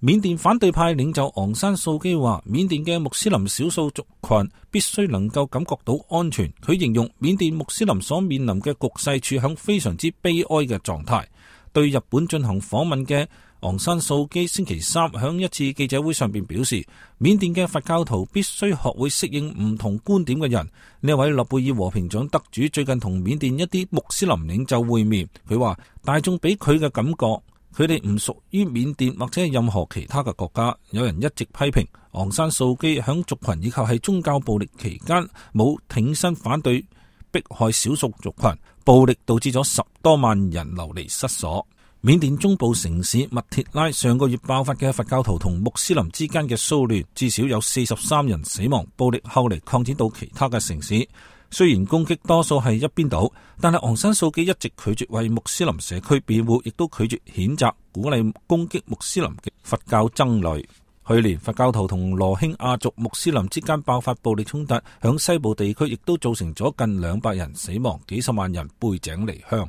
緬甸反對派領袖昂山素基話，緬甸嘅穆斯林少數族群必須能夠感覺到安全。佢形容緬甸穆斯林所面臨嘅局勢處響非常之悲哀嘅狀態。對日本進行訪問嘅昂山素基星期三響一次記者會上邊表示，緬甸嘅佛教徒必須學會適應唔同觀點嘅人。呢位諾貝爾和平獎得主最近同緬甸一啲穆斯林領袖會面，佢話大眾俾佢嘅感覺，佢哋唔屬於緬甸或者係任何其他嘅國家。有人一直批評昂山素基響族群以及係宗教暴力期間冇挺身反對迫害少數族群，暴力導致咗10多萬人流離失所。緬甸中部城市密鐵拉上個月爆發嘅佛教徒同穆斯林之間嘅騷亂，至少有43人死亡，暴力後嚟擴展到其他嘅城市。雖然攻擊多數係一邊倒，但係昂山素基一直拒絕為穆斯林社區辯護，亦都拒絕譴責鼓勵攻擊穆斯林嘅佛教僧侶。去年佛教徒同羅興亞族穆斯林之間爆發暴力衝突，響西部地區亦都造成咗近200人死亡，幾十萬人背井離鄉。